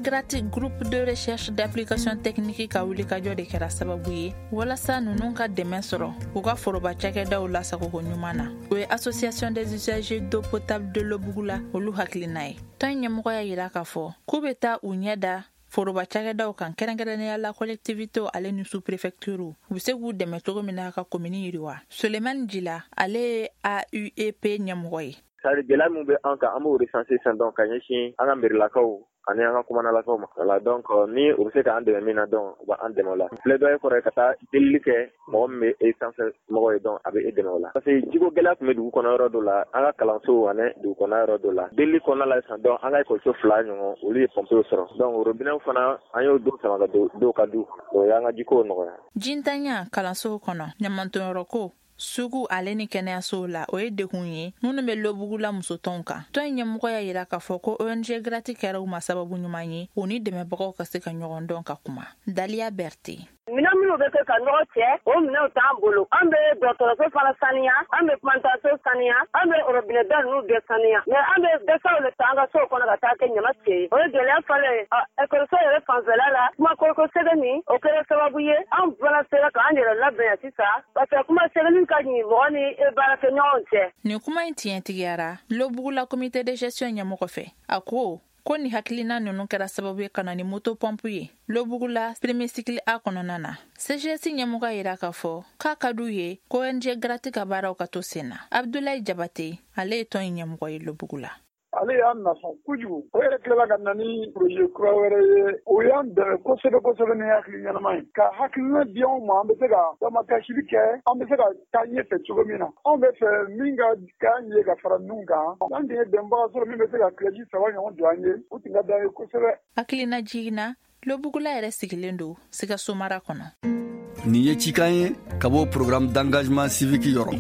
GRAT, Groupe de recherche d'application technique, ka wulikajɔ de kɛra sababu ye walasa ninnu ka dɛmɛ sɔrɔ u ka foroba cakɛdaw lasagoko ɲuman na. O ye Association des usagers d'eau potable de Lobugula olu hakilina ye. Tɔn ɲɛmɔgɔ y'a yira k'a fɔ k'u bɛ taa u ɲɛ da foroba cakɛdaw kan, kɛrɛnkɛrɛnnenya la collectivitéw ale ni sous préfecture, u bɛ se k'u dɛmɛ cogo min na ka komini yiriwa. Sulemani Jila, ale ye AUEP ɲɛmɔgɔ ye. C'est gɛlɛya min bɛ an kan, an b'o recenser sisan, donc ka ɲɛsin an ka mairilakaw ani an ka kumanalakaw ma. Voilà, donc ni u bɛ se k'an dɛmɛ min na, donc u b'an dɛmɛ o la. Plaidoyer kɔrɔ ye ka taa delili kɛ mɔgɔ min bɛ e sanfɛ mɔgɔ ye, donc a bɛ e dɛmɛ o la, parce que jiko gɛlɛya tun bɛ dugu kɔnɔ yɔrɔ dɔ la, an ka kalanso ani dugu kɔnɔ yɔrɔ dɔ la. Delili kɔnɔna la sisan, donc an ka ekɔliso fila ɲɔgɔn, olu ye pɔmpew sɔrɔ. Donc robinet fana, an y'o dɔw sama ka don dɔw ka du kɔnɔ, o y'an ka jikow nɔgɔya. Jintanya kalansow kɔnɔ, ɲamantɔnyɔrɔ ko, sugu ale ni kɛnɛyasow la, o ye degun ye minnu bɛ Lobugula musotɔnw kan. Tɔn in ɲɛmɔgɔ y'a yira k'a fɔ ko ONG GRAT kɛra u ma sababu ɲuman ye, u ni dɛmɛbagaw ka se ka ɲɔgɔn dɔn ka kuma. Daliya Berte. Minɛn minnu bɛ kɛ ka nɔgɔ cɛ, o minɛnw t'an bolo. An bɛ dɔgɔtɔrɔso fana saniya, an bɛ plantation saniya, an bɛ robinet da ninnu bɛɛ saniya, mais an bɛ dɛsɛw de ta an ka sow kɔnɔ ka taa kɛ ɲama cɛ ye. O ye gɛlɛya fɔlɔ ye. Ekɔliso yɛrɛ fanfɛla la, kuma koloko sɛbɛn nin, o kɛra sababu ye an fana sera k'an yɛrɛ labɛn yan sisan, parce que kuma sɛbɛnni ka ɲi mɔgɔ ni baarakɛɲɔgɔnw cɛ. Nin kuma in tiɲɛtigiyara Lobugula comité de gestion ɲɛmɔgɔ fɛ. A ko ko ni hakilina ninnu kɛra sababu ye ka na ni moto pɔmpu ye Lobugula premier cycle A kɔnɔna na. CGS ɲɛmɔgɔ yira k'a fɔ k'a ka d'u ye ko ONG GRAT ka baaraw ka to sen na. Abdulayi Jabate, ale ye tɔn in ɲɛmɔgɔ ye Lobugula. Ale y'an nafa kojugu. O yɛrɛ tilala ka na ni projet kura wɛrɛ ye. O y'an dɛmɛ kosɛbɛ kosɛbɛ ni hakili ɲɛnama ye, ka hakilina di anw ma, an bɛ se ka damakasili kɛ, an bɛ se ka taa ɲɛfɛ cogo min na. Anw bɛ fɛ min ka k'an ye ka fara ninnu kan, an tun ye dɛmɛbaga sɔrɔ min bɛ se ka crèche saba ɲɔgɔn jɔ an ye, o tun ka d'an ye kosɛbɛ. Hakilina jiginna, Lobugula yɛrɛ sigilen don Sikaso mara kɔnɔ. Nin ye cikan ye ka bɔ Programme d'engagement civique yɔrɔ.